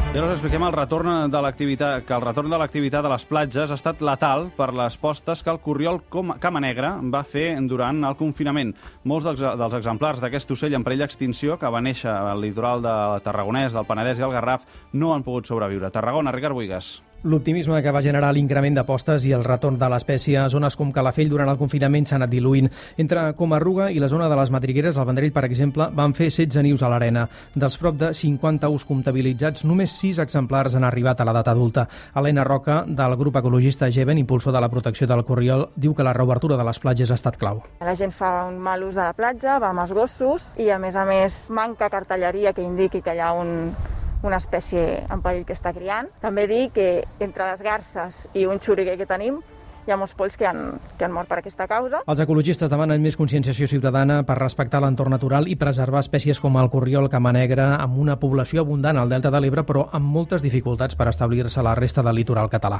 I ara us expliquem el retorn de l'activitat a les platges ha estat letal per les postes que el corriol cama negra va fer durant el confinament. Molts dels exemplars d'aquest ocell en perill d'extinció, que va néixer al litoral de Tarragonès, del Penedès i el Garraf, no han pogut sobreviure. Tarragona, Ricard Buigas. L'optimisme que va generar l'increment de postes i el retorn de l'espècie a zones com Calafell durant el confinament s'ha anat diluint. Entre Comarruga i la zona de les Madrigueres, al Vendrell, per exemple, van fer 16 nius a l'arena. Dels prop de 50 ous comptabilitzats, només 6 exemplars han arribat a l'edat adulta. Helena Roca, del grup ecologista Geven, impulsor de la protecció del corriol, diu que la reobertura de les platges ha estat clau. La gent fa un mal ús de la platja, va amb els gossos i, a més, manca cartelleria que indiqui que hi ha una espècie en perill que està criant. També dir que entre les garses i un xuriguer que tenim hi ha molts polls que han mort per aquesta causa. Els ecologistes demanen més conscienciació ciutadana per respectar l'entorn natural i preservar espècies com el corriol cama negra, amb una població abundant al Delta de l'Ebre, però amb moltes dificultats per establir-se a la resta del litoral català.